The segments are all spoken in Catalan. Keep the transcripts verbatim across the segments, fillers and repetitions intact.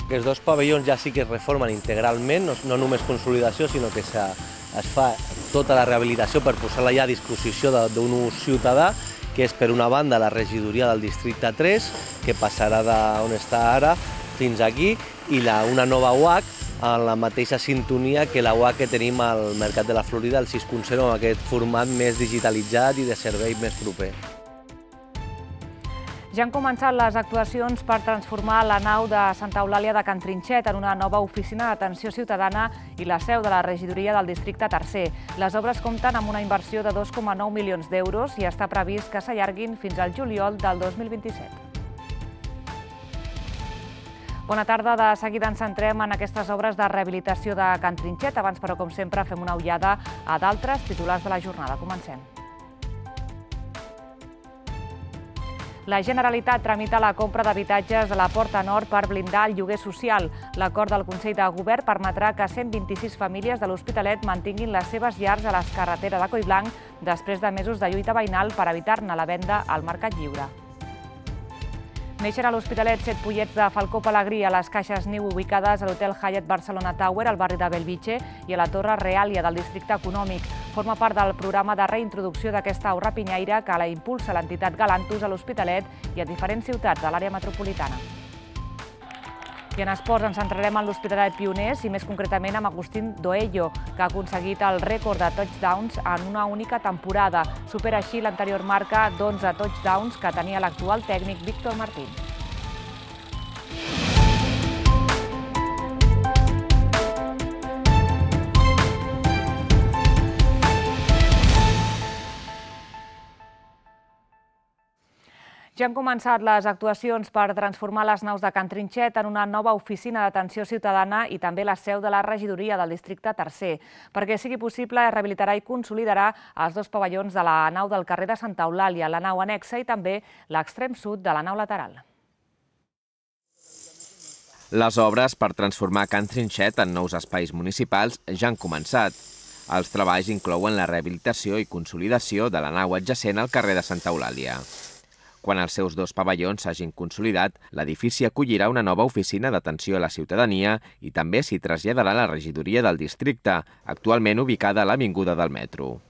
Aquests dos pavellons ja sí que es reformen integralment, no, no només consolidació, sinó que se, es fa tota la rehabilitació per posar-la ja a disposició d'un ús ciutadà, que és per una banda la regidoria del districte tres, que passarà d'on està ara fins aquí, i la, una nova U H C en la mateixa sintonia que la U H C que tenim al Mercat de la Florida, el sis punt zero, amb aquest format més digitalitzat i de servei més proper. Ja han començat les actuacions per transformar la nau de Santa Eulàlia de Can Trinxet en una nova oficina d'atenció ciutadana i la seu de la regidoria del districte tercer. Les obres compten amb una inversió de dos coma nou milions d'euros i està previst que s'allarguin fins al juliol del dos mil vint-i-set. Bona tarda. De seguida ens centrem en aquestes obres de rehabilitació de Can Trinxet. Abans, però, com sempre, fem una ullada a d'altres titulars de la jornada. Comencem. La Generalitat tramita la compra d'habitatges de la Porta Nord per blindar el lloguer social. L'acord del Consell de Govern permetrà que cent vint-i-sis famílies de l'Hospitalet mantinguin les seves llars a les carreteres de Collblanc després de mesos de lluita veïnal per evitar-ne la venda al mercat lliure. Neixen a l'Hospitalet set pollets de falcó pelegrí a les caixes niu ubicades a l'Hotel Hyatt Barcelona Tower, al barri de Bellvitge, i a la Torre Reàlia del districte econòmic. Forma part del programa de reintroducció d'aquesta au rapinyaire que la impulsa l'entitat Galantus a l'Hospitalet i a diferents ciutats de l'àrea metropolitana. I en esports ens centrarem en l'Hospitalet Pioners i més concretament amb Agustín Doello, que ha aconseguit el rècord de touchdowns en una única temporada. Supera així l'anterior marca d'onze touchdowns que tenia l'actual tècnic Víctor Martín. Ja han començat les actuacions per transformar les naus de Can Trinxet en una nova oficina d'atenció ciutadana i també la seu de la regidoria del districte tercer. Perquè sigui possible, es rehabilitarà i consolidarà els dos pavellons de la nau del carrer de Santa Eulàlia, la nau annexa i també l'extrem sud de la nau lateral. Les obres per transformar Can Trinxet en nous espais municipals ja han començat. Els treballs inclouen la rehabilitació i consolidació de la nau adjacent al carrer de Santa Eulàlia. Quan els seus dos pavellons s'hagin consolidat, l'edifici acollirà una nova oficina d'atenció a la ciutadania i també s'hi traslladarà la regidoria del districte, actualment ubicada a l'Avinguda del Metro.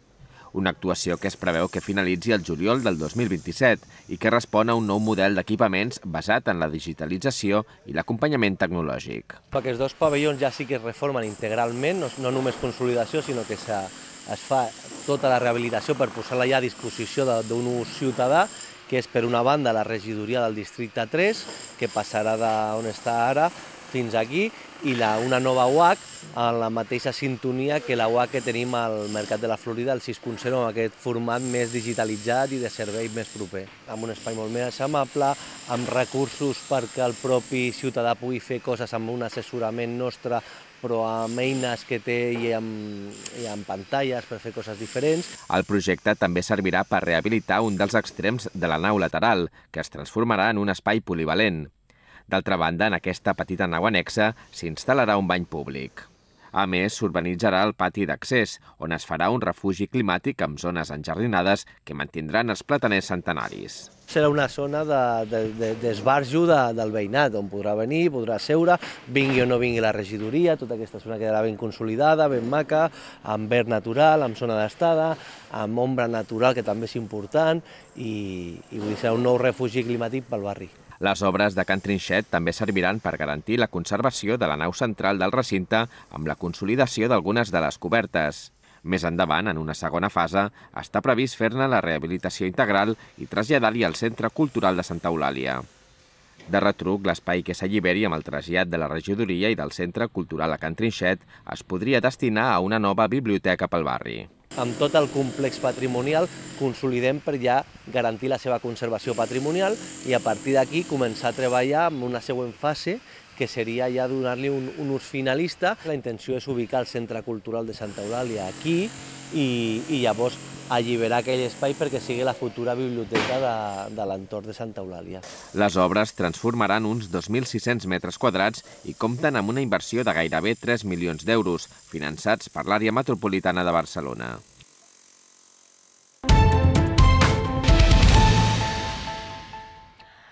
Una actuació que es preveu que finalitzi el juliol del dos mil vint-i-set i que respon a un nou model d'equipaments basat en la digitalització i l'acompanyament tecnològic. Aquests dos pavellons ja sí que es reformen integralment, no, no només consolidació, sinó que se, es fa tota la rehabilitació per posar-la ja a disposició d'un ús ciutadà, que és per una banda la regidoria del districte tres, que passarà d'on està ara fins aquí, i la, una nova U H C en la mateixa sintonia que la U H C que tenim al Mercat de la Florida, el sis punt zero, amb aquest format més digitalitzat i de servei més proper. Amb un espai molt més amable, amb recursos perquè el propi ciutadà pugui fer coses amb un assessorament nostre, però amb eines que té i amb, i amb pantalles per fer coses diferents. El projecte també servirà per rehabilitar un dels extrems de la nau lateral, que es transformarà en un espai polivalent. D'altra banda, en aquesta petita nau annexa s'instal·larà un bany públic. A més, s'urbanitzarà el pati d'accés, on es farà un refugi climàtic amb zones enjardinades que mantindran els plataners centenaris. Serà una zona d'esbarjo de, de, de, del veïnat, on podrà venir, podrà seure, vingui o no vingui la regidoria, tota aquesta zona quedarà ben consolidada, ben maca, amb verd natural, amb zona d'estada, amb ombra natural, que també és important, i, i vull dir, serà un nou refugi climàtic pel barri. Les obres de Can Trinxet també serviran per garantir la conservació de la nau central del recinte amb la consolidació d'algunes de les cobertes. Més endavant, en una segona fase, està previst fer-ne la rehabilitació integral i traslladar-hi al Centre Cultural de Santa Eulàlia. De retruc, l'espai que s'alliberi amb el trasllat de la regidoria i del Centre Cultural a Can Trinxet es podria destinar a una nova biblioteca pel barri. Amb tot el complex patrimonial consolidem per ja garantir la seva conservació patrimonial i a partir d'aquí començar a treballar en una següent fase que seria ja donar-li un, un ús finalista. La intenció és ubicar el Centre Cultural de Santa Eulàlia aquí i, i llavors alliberar aquell espai perquè sigui la futura biblioteca de, de l'entorn de Santa Eulàlia. Les obres transformaran uns dos mil sis-cents metres quadrats i compten amb una inversió de gairebé tres milions d'euros, finançats per l'àrea metropolitana de Barcelona.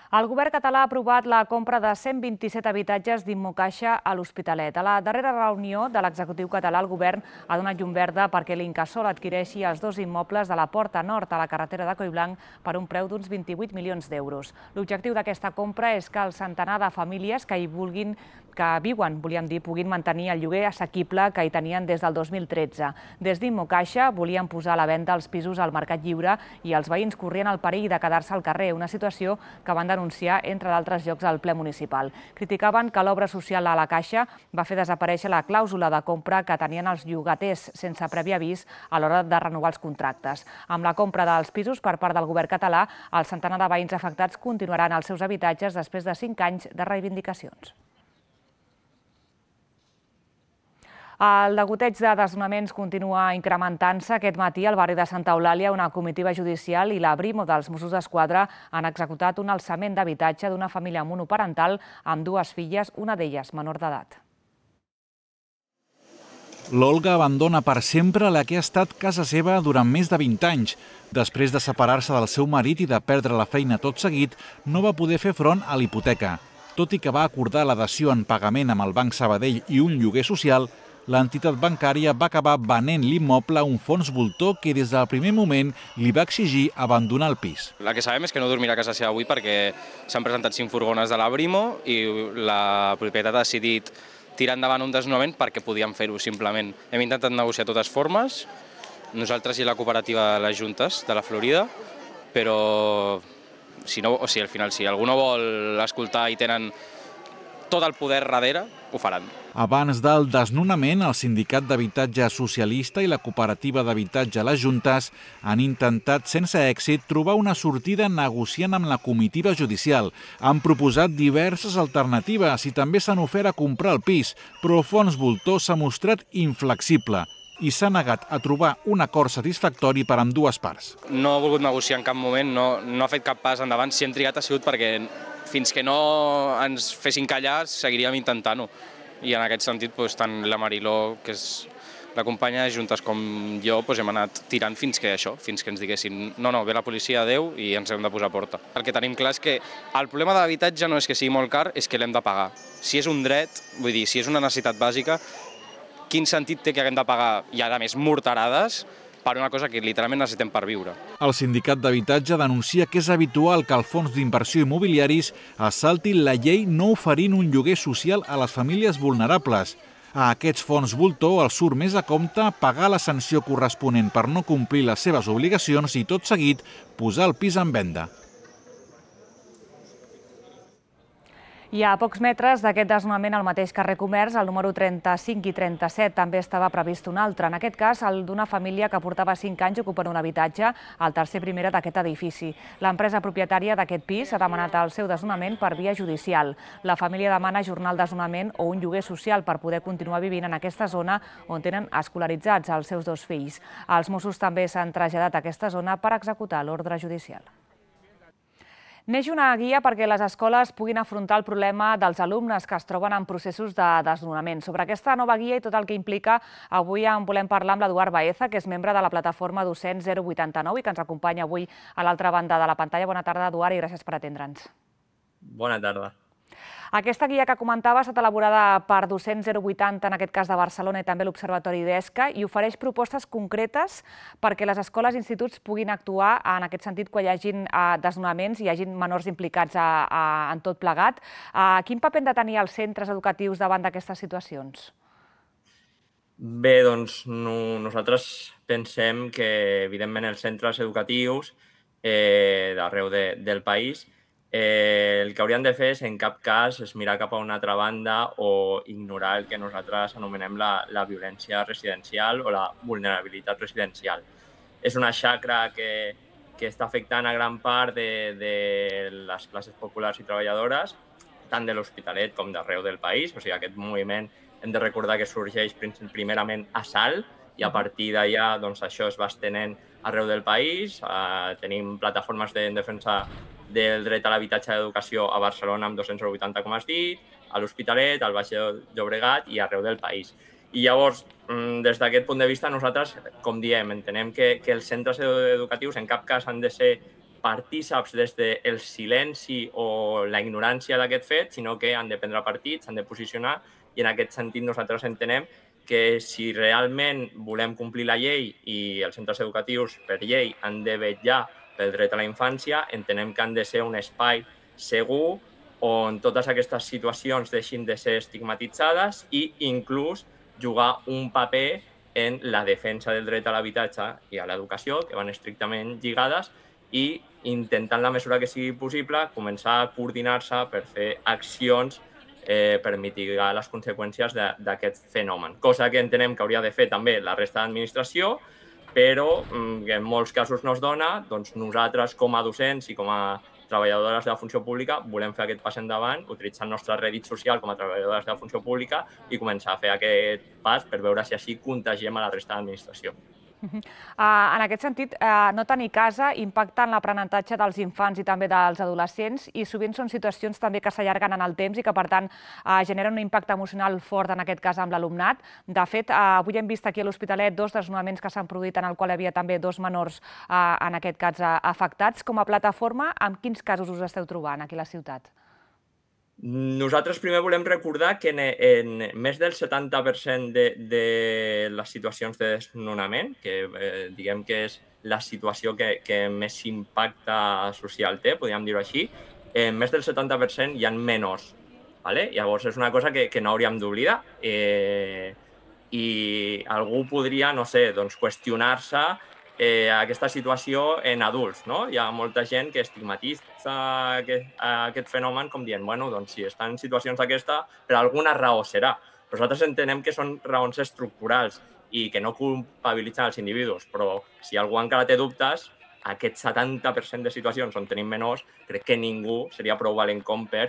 El govern català ha aprovat la compra de cent vint-i-set habitatges d'Immocaixa a l'Hospitalet. A la darrera reunió de l'executiu català, el govern ha donat llum verda perquè l'Incasòl adquireixi els dos immobles de la Porta Nord a la carretera de Collblanc per un preu d'uns vint-i-vuit milions d'euros. L'objectiu d'aquesta compra és que el centenar de famílies que hi vulguin que viuen, volíem dir, puguin mantenir el lloguer assequible que hi tenien des del dos mil tretze. Des d'Immocaixa volien posar a la venda els pisos al mercat lliure i els veïns corrien el perill de quedar-se al carrer, una situació que van denunciar, entre d'altres llocs, al ple municipal. Criticaven que l'obra social a la Caixa va fer desaparèixer la clàusula de compra que tenien els llogaters sense previ avís a l'hora de renovar els contractes. Amb la compra dels pisos per part del govern català, el centenar de veïns afectats continuaran als seus habitatges després de cinc anys de reivindicacions. El degoteig de desnonaments continua incrementant-se. Aquest matí, al barri de Santa Eulàlia, una comitiva judicial i la Brimo dels Mossos d'Esquadra han executat un alçament d'habitatge d'una família monoparental amb dues filles, una d'elles menor d'edat. L'Olga abandona per sempre la que ha estat casa seva durant més de vint anys. Després de separar-se del seu marit i de perdre la feina tot seguit, no va poder fer front a l'hipoteca. Tot i que va acordar l'adhesió en pagament amb el Banc Sabadell i un lloguer social, l'entitat bancària va acabar venent l'immoble a un fons voltor que des del primer moment li va exigir abandonar el pis. La que sabem és que no dormirà a casa seva avui perquè s'han presentat cinc furgones de la Brimo i la propietat ha decidit tirar endavant un desnonament perquè podien fer-ho simplement. Hem intentat negociar de totes formes, nosaltres i la cooperativa de les Juntes de la Florida, però si no, o sigui, al final, si algú no vol escoltar i tenen tot el poder darrere, ho faran. Abans del desnonament, el Sindicat d'Habitatge Socialista i la Cooperativa d'Habitatge Les Juntes han intentat sense èxit trobar una sortida negociant amb la comitiva judicial. Han proposat diverses alternatives i també s'han ofert a comprar el pis, però el fons voltor s'ha mostrat inflexible i s'ha negat a trobar un acord satisfactori per amb dues parts. No ha volgut negociar en cap moment, no, no ha fet cap pas endavant. Si hem trigat ha sigut perquè fins que no ens fessin callar seguiríem intentant-ho. I en aquest sentit, doncs, tant la Mariló, que és la companya de Juntes, com jo, doncs, hem anat tirant fins que això, fins que ens diguessin no, no, ve la policia, adeu, i ens hem de posar a porta. El que tenim clar és que el problema de l'habitatge no és que sigui molt car, és que l'hem de pagar. Si és un dret, vull dir, si és una necessitat bàsica, quin sentit té que haguem de pagar, i a més morterades, per una cosa que literalment necessitem per viure. El Sindicat d'Habitatge denuncia que és habitual que el fons d'inversió immobiliaris assalti la llei no oferint un lloguer social a les famílies vulnerables. A aquests fons voltor els surt més a compte pagar la sanció corresponent per no complir les seves obligacions i tot seguit posar el pis en venda. I a pocs metres d'aquest desnonament al mateix carrer Comerç, el número trenta-cinc i trenta-set, també estava previst un altre. En aquest cas, el d'una família que portava cinc anys ocupant un habitatge al tercer primera d'aquest edifici. L'empresa propietària d'aquest pis ha demanat el seu desnonament per via judicial. La família demana ajornar el desnonament o un lloguer social per poder continuar vivint en aquesta zona on tenen escolaritzats els seus dos fills. Els Mossos també s'han traslladat a aquesta zona per executar l'ordre judicial. Neix una guia perquè les escoles puguin afrontar el problema dels alumnes que es troben en processos de desnonament. Sobre aquesta nova guia i tot el que implica, avui en volem parlar amb l'Eduard Baeza, que és membre de la plataforma Docents zero vuitanta-nou i que ens acompanya avui a l'altra banda de la pantalla. Bona tarda, Eduard, i gràcies per atendre'ns. Bona tarda. Aquesta guia que comentava ha estat elaborada per Docents zero vuitanta, en aquest cas de Barcelona, i també l'Observatori d'ESCA, i ofereix propostes concretes perquè les escoles i instituts puguin actuar en aquest sentit quan hi hagin desnonaments i hi hagin menors implicats en tot plegat. Quin paper han de tenir els centres educatius davant d'aquestes situacions? Bé, doncs nosaltres pensem que, evidentment, els centres educatius d'arreu del país el que haurien de fer és, en cap cas, és mirar cap a una altra banda o ignorar el que nosaltres anomenem la violència residencial o la vulnerabilitat residencial. És una xacra que està afectant a gran part de les classes populars i treballadores, tant de l'Hospitalet com d'arreu del país. O sigui, aquest moviment hem de recordar que sorgeix primerament a Salt i a partir d'allà això es va estenent arreu del país. Tenim plataformes en defensa del dret a l'habitatge d'educació a Barcelona amb Docents zero vuitanta, com has dit, a l'Hospitalet, al Baix Llobregat i arreu del país. I llavors, des d'aquest punt de vista, nosaltres, com diem, entenem que els centres educatius en cap cas han de ser partíceps des del silenci o la ignorància d'aquest fet, sinó que han de prendre partits, s'han de posicionar, i en aquest sentit nosaltres entenem que si realment volem complir la llei i els centres educatius per llei han de vetllar pel dret a la infància, entenem que han de ser un espai segur on totes aquestes situacions deixin de ser estigmatitzades i inclús jugar un paper en la defensa del dret a l'habitatge i a l'educació, que van estrictament lligades, i intentant, la mesura que sigui possible, començar a coordinar-se per fer accions eh, per mitigar les conseqüències d'aquest fenomen. Cosa que entenem que hauria de fer també la resta d'administració, però que en molts casos no es dona, doncs nosaltres com a docents i com a treballadores de la funció pública volem fer aquest pas endavant, utilitzar el nostre rèdit social com a treballadores de la funció pública i començar a fer aquest pas per veure si així contagiem a la resta de l'administració. Uh, en aquest sentit, uh, no tenir casa impacta en l'aprenentatge dels infants i també dels adolescents i sovint són situacions també que s'allarguen en el temps i que, per tant, uh, generen un impacte emocional fort, en aquest cas, amb l'alumnat. De fet, uh, avui hem vist aquí a l'Hospitalet dos desnonaments que s'han produït en el qual hi havia també dos menors, uh, en aquest cas, uh, afectats. Com a plataforma, amb quins casos us esteu trobant aquí a la ciutat? Nosaltres primer volem recordar que en, en més del setanta per cent de, de les situacions de desnonament, que eh, diguem que és la situació que, que més impacte social té, podríem dir-ho així, en més del setanta per cent hi ha menors. ¿Vale? Llavors és una cosa que, que no hauríem d'oblidar. Eh, I algú podria, no sé, doncs, qüestionar-se Eh, aquesta situació en adults, no? Hi ha molta gent que estigmatitza aquest, aquest fenomen com dient, bueno, doncs si estan en situacions d'aquesta, per alguna raó serà. Però nosaltres entenem que són raons estructurals i que no culpabilitzen els individus, però si algú encara té dubtes, aquest setanta per cent de situacions on tenim menors, crec que ningú seria prou valent com per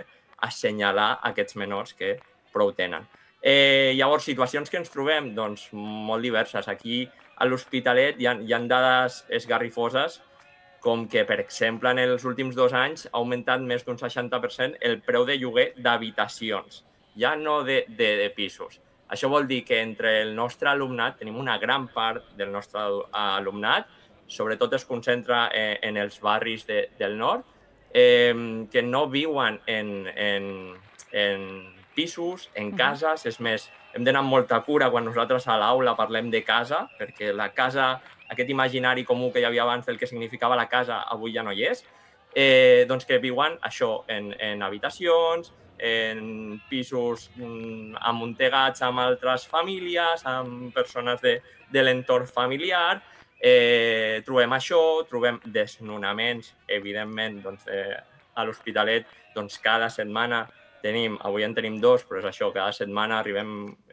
assenyalar aquests menors que prou tenen. Eh, llavors, situacions que ens trobem? Doncs molt diverses. Aquí a l'Hospitalet hi ha, hi ha dades esgarrifoses, com que, per exemple, en els últims dos anys ha augmentat més d'un seixanta per cent el preu de lloguer d'habitacions, ja no de, de, de pisos. Això vol dir que entre el nostre alumnat, tenim una gran part del nostre alumnat, sobretot es concentra en, en els barris de, del nord, eh, que no viuen en, en, en pisos, en cases, és més, hem d'anar amb molta cura quan nosaltres a l'aula parlem de casa, perquè la casa, aquest imaginari comú que hi havia abans del que significava la casa, avui ja no hi és, eh, doncs que viuen això en, en habitacions, en pisos mm, amuntegats amb altres famílies, amb persones de, de l'entorn familiar. Eh, trobem això, trobem desnonaments, evidentment, doncs, eh, a l'Hospitalet, doncs, cada setmana tenim, avui en tenim dos, però és això, cada setmana arribem,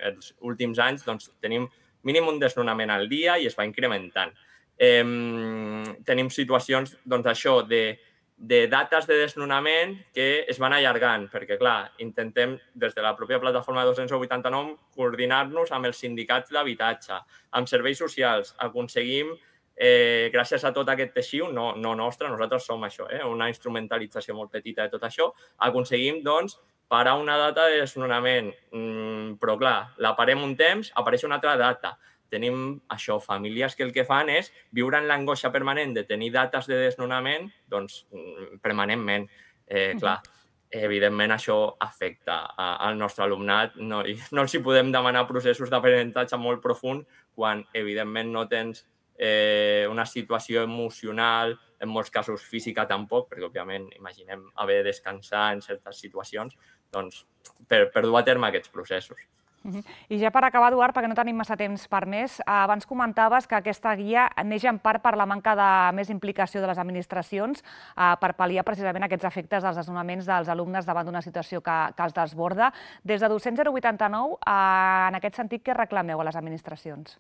els últims anys, doncs tenim mínim un desnonament al dia i es va incrementant. Eh, tenim situacions, doncs això, de, de dates de desnonament que es van allargant, perquè, clar, intentem, des de la pròpia plataforma de dos-cents vuitanta-nou, coordinar-nos amb els sindicats d'habitatge, amb serveis socials, aconseguim, eh, gràcies a tot aquest teixit, no, no nostre, nosaltres som això, eh, una instrumentalització molt petita de tot això, aconseguim, doncs, parar una data de desnonament, mm, però clar, la parem un temps, apareix una altra data. Tenim això, famílies que el que fan és viure en l'angoixa permanent de tenir dates de desnonament, doncs, permanentment. Eh, clar, evidentment això afecta al nostre alumnat. No, no els hi podem demanar processos d'aprenentatge molt profund quan, evidentment, no tens eh, una situació emocional, en molts casos física tampoc, perquè, òbviament, imaginem haver de descansar en certes situacions, doncs, per, per dur a terme aquests processos. Uh-huh. I ja per acabar, Eduard, perquè no tenim massa temps per més, abans comentaves que aquesta guia neix en part per la manca de més implicació de les administracions eh, per pal·liar precisament aquests efectes dels desnonaments dels alumnes davant d'una situació que, que els desborda. Des de Docents zero vuitanta-nou, eh, en aquest sentit, què reclameu a les administracions?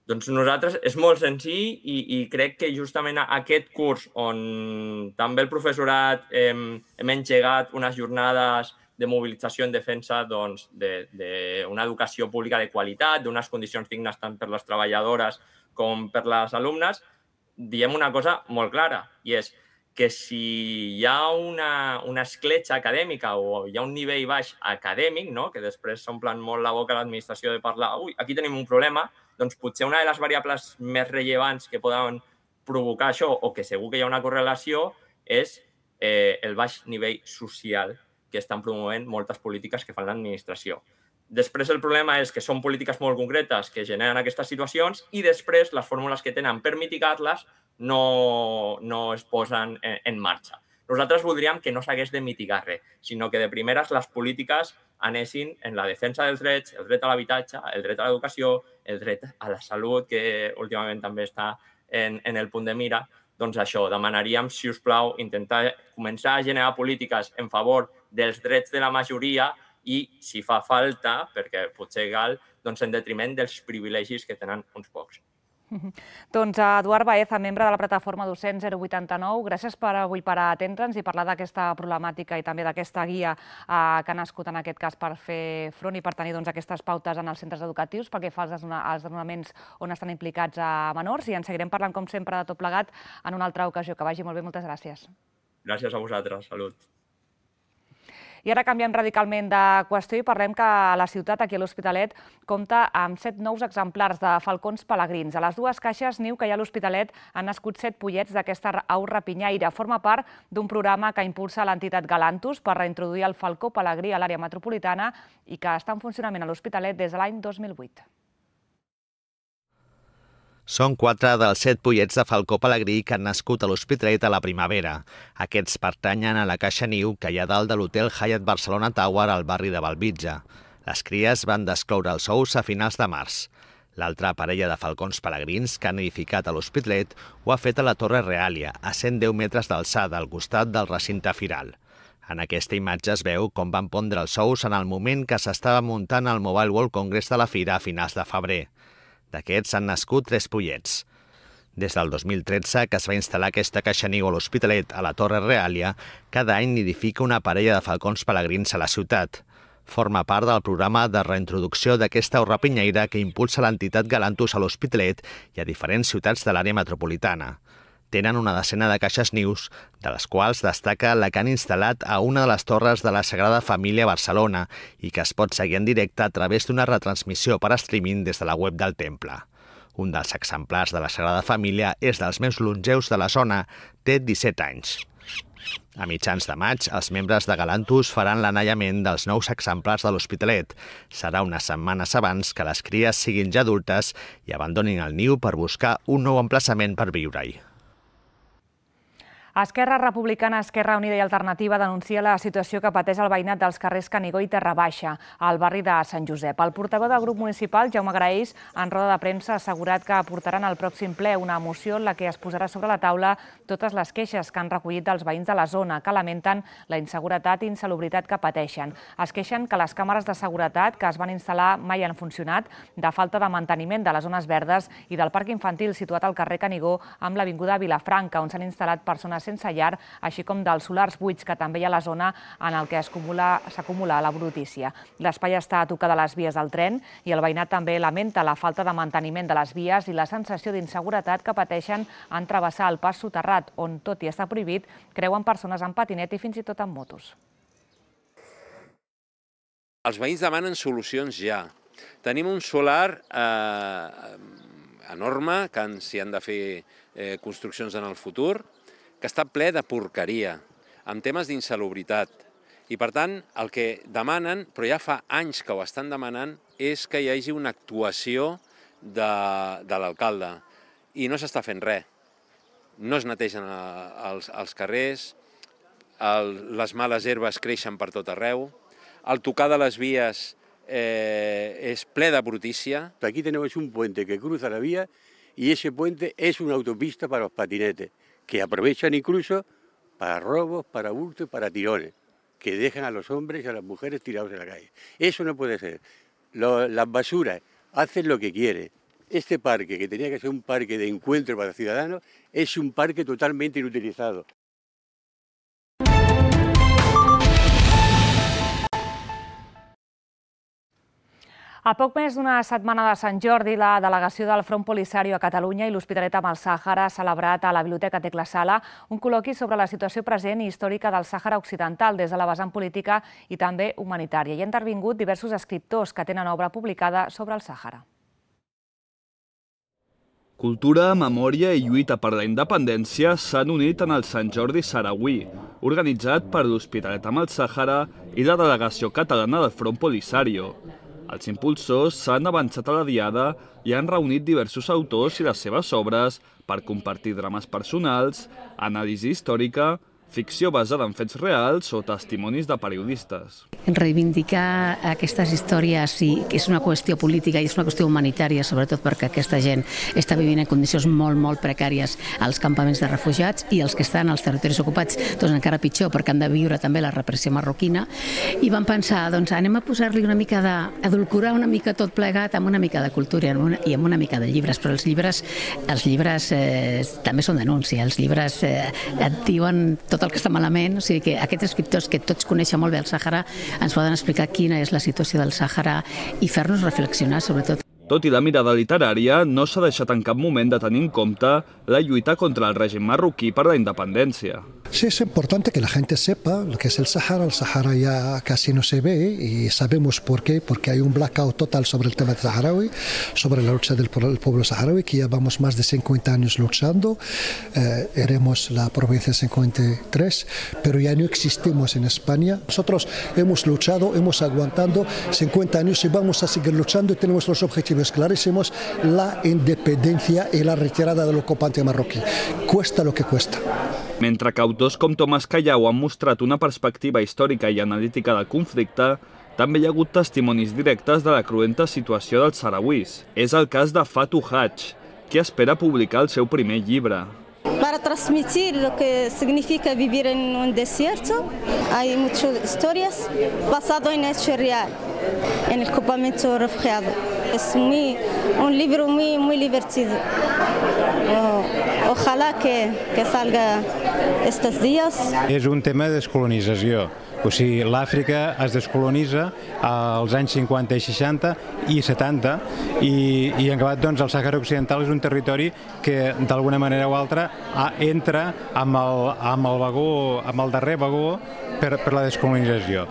Doncs nosaltres és molt senzill i, i crec que justament aquest curs on també el professorat hem, hem engegat unes jornades de mobilització en defensa doncs, d'una educació pública de qualitat, d'unes condicions dignes tant per les treballadores com per les alumnes, diem una cosa molt clara, i és que si hi ha una, una escletxa acadèmica o hi ha un nivell baix acadèmic, no? Que després s'omplen molt la boca a l'administració de parlar, ui, aquí tenim un problema, doncs potser una de les variables més rellevants que poden provocar això, o que segur que hi ha una correlació, és eh, el baix nivell social que estan promovent moltes polítiques que fan l'administració. Després el problema és que són polítiques molt concretes que generen aquestes situacions i després les fórmules que tenen per mitigar-les no, no es posen en, en marxa. Nosaltres voldríem que no s'hagués de mitigar res, sinó que de primeres les polítiques anessin en la defensa dels drets, el dret a l'habitatge, el dret a l'educació, el dret a la salut, que últimament també està en, en el punt de mira. Doncs això, demanaríem, si us plau, intentar començar a generar polítiques en favor dels drets de la majoria i, si fa falta, perquè potser cal, doncs en detriment dels privilegis que tenen uns pocs. Doncs Eduard Baeza, membre de la plataforma Docents zero vuitanta-nou, gràcies per avui per atendre'ns i parlar d'aquesta problemàtica i també d'aquesta guia que ha nascut en aquest cas per fer front i per tenir aquestes pautes en els centres educatius pel que fa als desnonaments on estan implicats a menors, i en seguirem parlant com sempre de tot plegat en una altra ocasió. Que vagi molt bé, moltes gràcies. Gràcies a vosaltres, salut. I ara canviem radicalment de qüestió i parlem que la ciutat, aquí a l'Hospitalet, compta amb set nous exemplars de falcons pelegrins. A les dues caixes niu que hi ha a l'Hospitalet han nascut set pollets d'aquesta au rapinyaire. Forma part d'un programa que impulsa l'entitat Galantus per reintroduir el falcó pelegrí a l'àrea metropolitana i que està en funcionament a l'Hospitalet des de l'any dos mil vuit. Són quatre dels set pollets de falcó pelegrí que han nascut a l'Hospitalet a la primavera. Aquests pertanyen a la caixa niu que hi ha dalt de l'hotel Hyatt Barcelona Tower al barri de Bellvitge. Les cries van descloure els ous a finals de març. L'altra parella de falcons pelegrins que han edificat a l'Hospitalet ho ha fet a la Torre Reàlia, a cent deu metres d'alçada, al costat del recinte firal. En aquesta imatge es veu com van pondre els ous en el moment que s'estava muntant el Mobile World Congress de la Fira a finals de febrer. D'aquests han nascut tres pollets. Des del dos mil tretze, que es va instal·lar aquesta caixa niu a l'Hospitalet, a la Torre Reàlia, cada any nidifica una parella de falcons pelegrins a la ciutat. Forma part del programa de reintroducció d'aquesta au rapinyaire que impulsa l'entitat Galantus a l'Hospitalet i a diferents ciutats de l'àrea metropolitana. Tenen una decena de caixes nius, de les quals destaca la que han instal·lat a una de les torres de la Sagrada Família a Barcelona i que es pot seguir en directe a través d'una retransmissió per streaming des de la web del temple. Un dels exemplars de la Sagrada Família és dels més longeus de la zona, té disset anys. A mitjans de maig, els membres de Galantus faran l'anellament dels nous exemplars de l'Hospitalet. Serà unes setmanes abans que les cries siguin ja adultes i abandonin el niu per buscar un nou emplaçament per viure-hi. Esquerra Republicana, Esquerra Unida i Alternativa denuncia la situació que pateix el veïnat dels carrers Canigó i Terra Baixa, al barri de Sant Josep. El portaveu del grup municipal, Jaume Graells, en roda de premsa ha assegurat que portaran al pròxim ple una moció en la que es posarà sobre la taula totes les queixes que han recollit dels veïns de la zona, que lamenten la inseguretat i insalubritat que pateixen. Es queixen que les càmeres de seguretat que es van instal·lar mai han funcionat, de falta de manteniment de les zones verdes i del parc infantil situat al carrer Canigó amb l'avinguda Vilafranca, on s'han instal·lat persones sense llar, així com dels solars buits que també hi ha a la zona en el que s'acumula la brutícia. L'espai està a tocar de les vies del tren i el veïnat també lamenta la falta de manteniment de les vies i la sensació d'inseguretat que pateixen en travessar el pas soterrat, on, tot i estar prohibit, creuen persones en patinet i fins i tot en motos. Els veïns demanen solucions ja. Tenim un solar eh, enorme, que s'hi han de fer eh, construccions en el futur, que està ple de porqueria, amb temes d'insalubritat. I, per tant, el que demanen, però ja fa anys que ho estan demanant, és que hi hagi una actuació de, de l'alcalde. I no s'està fent res. No es netegen els, els carrers, el, les males herbes creixen per tot arreu, el tocar de les vies eh, és ple de brutícia. Aquí tenemos un puente que cruza la vía y ese puente es una autopista para los patinetes, que aprovechan incluso para robos, para hurtos, para tirones, que dejan a los hombres y a las mujeres tirados en la calle. Eso no puede ser. Lo, las basuras hacen lo que quieren. Este parque, que tenía que ser un parque de encuentro para ciudadanos, es un parque totalmente inutilizado. A poc més d'una setmana de Sant Jordi, la delegació del Front Polisario a Catalunya i l'Hospitalet amb el Sàhara ha celebrat a la Biblioteca Tecla Sala un col·loqui sobre la situació present i històrica del Sàhara Occidental des de la vessant política i també humanitària. Hi ha intervingut diversos escriptors que tenen obra publicada sobre el Sàhara. Cultura, memòria i lluita per la independència s'han unit en el Sant Jordi Sarauí, organitzat per l'Hospitalet amb el Sàhara i la delegació catalana del Front Polisario. Els impulsors s'han avançat a la diada i han reunit diversos autors i les seves obres per compartir drames personals, anàlisi històrica, ficció basada en fets reals o testimonis de periodistes. Reivindicar aquestes històries i que és una qüestió política i és una qüestió humanitària, sobretot perquè aquesta gent està vivint en condicions molt, molt precàries als campaments de refugiats i els que estan als territoris ocupats, doncs encara pitjor, perquè han de viure també la repressió marroquina. I vam pensar, doncs anem a posar-li una mica de... adulcorar una mica tot plegat amb una mica de cultura i amb una mica de llibres, però els llibres, els llibres eh, també són denúncia, els llibres eh, et diuen tot el que està malament, o sigui que aquests escriptors que tots coneixen molt bé el Sàhara ens poden explicar quina és la situació del Sàhara i fer-nos reflexionar sobretot. Tot i la mirada literària, no s'ha deixat en cap moment de tenir en compte la lluita contra el règim marroquí per la independència. Sí, es importante que la gente sepa lo que es el Sahara. El Sahara ya casi no se ve y sabemos por qué, porque hay un blackout total sobre el tema del saharaui, sobre la lucha del pueblo saharaui, que llevamos más de cincuenta años luchando. Eh, éramos la provincia cincuenta y tres, pero ya no existimos en España. Nosotros hemos luchado, hemos aguantado cincuenta años y vamos a seguir luchando y tenemos los objetivos clarísimos, la independencia y la retirada del ocupante marroquí. Cuesta lo que cuesta. Mentre que autors com Tomàs Callau han mostrat una perspectiva històrica i analítica del conflicte, també hi ha hagut testimonis directes de la cruenta situació dels sarauís. És el cas de Fatou Hadj, que espera publicar el seu primer llibre. Para transmitir lo que significa vivir en un desierto, hay muchas historias basadas en hechos reales, en el campamento refugiado. Es muy, un libro muy, muy divertido. Ojalá que, que salga estos días. És un tema de descolonització. O sigui, l'Àfrica es descolonitza als anys cinquanta i seixanta i setanta i, i en acabat doncs, el Sàhara Occidental és un territori que d'alguna manera o altra entra amb el, amb el, vagó, amb el darrer vagó per, per la descolonització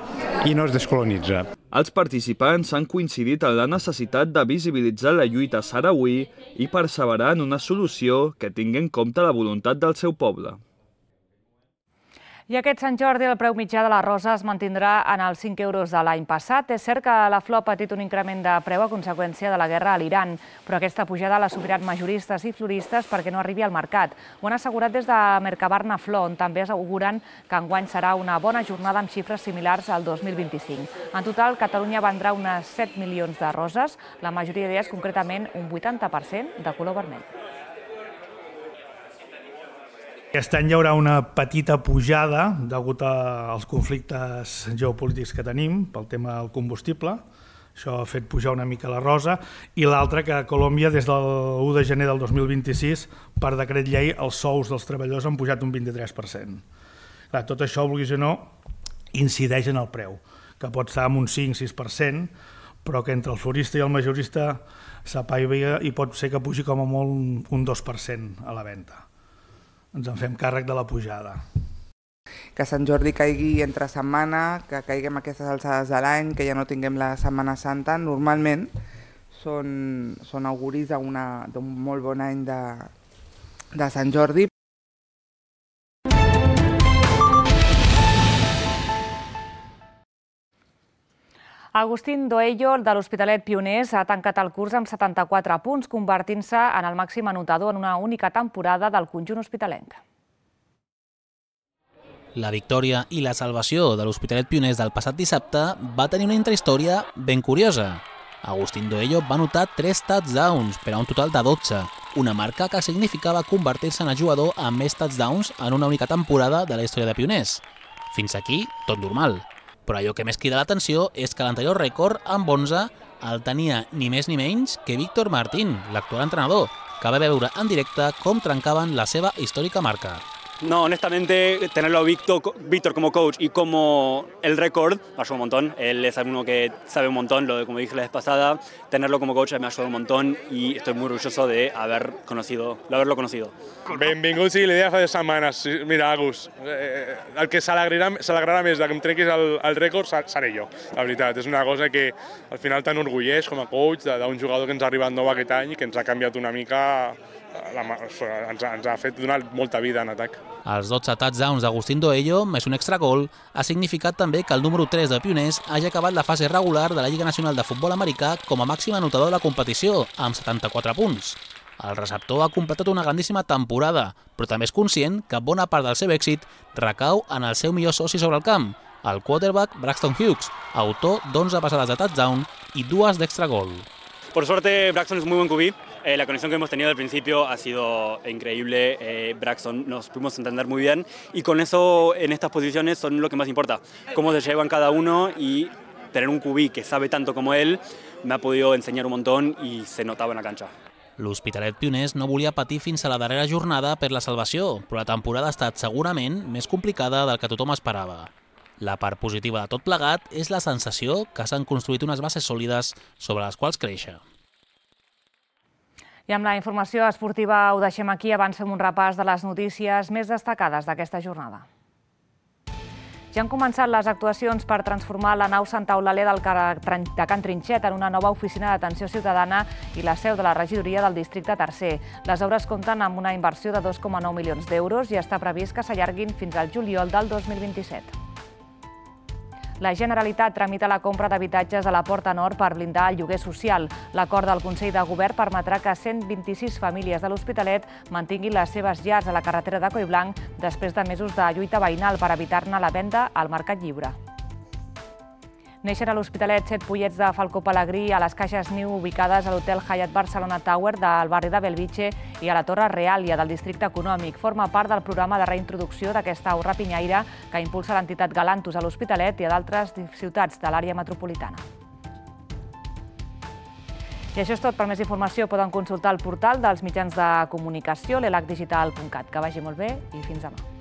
i no es descolonitza. Els participants han coincidit en la necessitat de visibilitzar la lluita sarauí i perseverar en una solució que tingui en compte la voluntat del seu poble. I aquest Sant Jordi el preu mitjà de la rosa es mantindrà en els cinc euros de l'any passat. És cert que la flor ha patit un increment de preu a conseqüència de la guerra a l'Iran, però aquesta pujada l'ha superat majoristes i floristes perquè no arribi al mercat. Ho han assegurat des de Mercabarna Flor, on també asseguren que enguany serà una bona jornada amb xifres similars al dos mil vint-i-cinc. En total, Catalunya vendrà unes set milions de roses, la majoria d'elles concretament un vuitanta per cent de color vermell. Aquest any hi haurà una petita pujada degut als conflictes geopolítics que tenim pel tema del combustible. Això ha fet pujar una mica la rosa. I l'altra, que a Colòmbia, des del u de gener del dos mil vint-i-sis, per decret llei, els sous dels treballadors han pujat un vint-i-tres per cent. Clar, tot això, vulguis o no, incideix en el preu, que pot estar en un cinc sis per cent, però que entre el florista i el majorista s'apaiga i pot ser que pugi com a molt un dos per cent a la venda. Ens en fem càrrec de la pujada. Que Sant Jordi caigui entre setmana, que caiguem aquestes alçades de l'any, que ja no tinguem la Setmana Santa, normalment són, són auguris d'un molt bon any de, de Sant Jordi. Agustín Doello, de l'Hospitalet Pioners, ha tancat el curs amb setanta-quatre punts, convertint-se en el màxim anotador en una única temporada del conjunt hospitalenc. La victòria i la salvació de l'Hospitalet Pioners del passat dissabte va tenir una intrahistòria ben curiosa. Agustín Doello va anotar tres touchdowns per a un total de dotze, una marca que significava convertir-se en el jugador amb més touchdowns en una única temporada de la història de Pioners. Fins aquí, tot normal. Però allò que més crida l'atenció és que l'anterior rècord, amb onze, el tenia ni més ni menys que Víctor Martín, l'actual entrenador, que va veure en directe com trencaven la seva històrica marca. No, honestamente, tenerlo a Víctor, Víctor como coach y como el récord me ayuda un montón. Él es uno que sabe un montón, lo de, como dije la vez pasada, tenerlo como coach me ha ayudado un montón y estoy muy orgulloso de, haber conocido, de haverlo conocido. Benvinguts i l'idea fa dues setmanes. Mira, Agus, eh, el que s'alegrarà més de que em trequis el, el rècord seré jo, la veritat. És una cosa que al final t'enorgulleix com a coach d'un jugador que ens ha arribat nou aquest any i que ens ha canviat una mica, la, ens, ha, ens ha fet donar molta vida en atac. Els dotze touchdowns d'Agustín Doello, més un extra gol, ha significat també que el número tres de Pioners hagi acabat la fase regular de la Lliga Nacional de Futbol Americà com a màxim anotador de la competició, amb setanta-quatre punts. El receptor ha completat una grandíssima temporada, però també és conscient que bona part del seu èxit recau en el seu millor soci sobre el camp, el quarterback Braxton Hughes, autor d'onze passades de touchdown i dues d'extra gol. Por suerte, Braxton es muy buen Q B. Eh, la conexión que hemos tenido al principio ha sido increíble. Eh, Braxton nos pudimos entender muy bien y con eso en estas posiciones son lo que más importa. Cómo se llevan cada uno y tener un Q B que sabe tanto como él me ha podido enseñar un montón y se notaba en la cancha. L'Hospitalet Pioners no volia patir fins a la darrera jornada per la salvació, però la temporada ha estat segurament més complicada del que tothom esperava. La part positiva de tot plegat és la sensació que s'han construït unes bases sòlides sobre les quals créixer. I amb la informació esportiva ho deixem aquí. Abans fem un repàs de les notícies més destacades d'aquesta jornada. Ja han començat les actuacions per transformar la nau Santa Eulàlia de Can Trinxet en una nova oficina d'atenció ciutadana i la seu de la regidoria del districte tercer. Les obres compten amb una inversió de dos coma nou milions d'euros i està previst que s'allarguin fins al juliol del dos mil vint-i-set. La Generalitat tramita la compra d'habitatges a la Porta Nord per blindar el lloguer social. L'acord del Consell de Govern permetrà que cent vint-i-sis famílies de l'Hospitalet mantinguin les seves llars a la carretera de Collblanc després de mesos de lluita veïnal per evitar-ne la venda al mercat lliure. Neixen a l'Hospitalet set pollets de falcó pelegrí a les caixes niu ubicades a l'Hotel Hyatt Barcelona Tower del barri de Belvitge i a la Torre Reàlia del districte econòmic. Forma part del programa de reintroducció d'aquesta au rapinyaire que impulsa l'entitat Galantus a l'Hospitalet i a d'altres ciutats de l'àrea metropolitana. I això és tot. Per més informació poden consultar el portal dels mitjans de comunicació, l'elac digital punt cat. Que vagi molt bé i fins demà.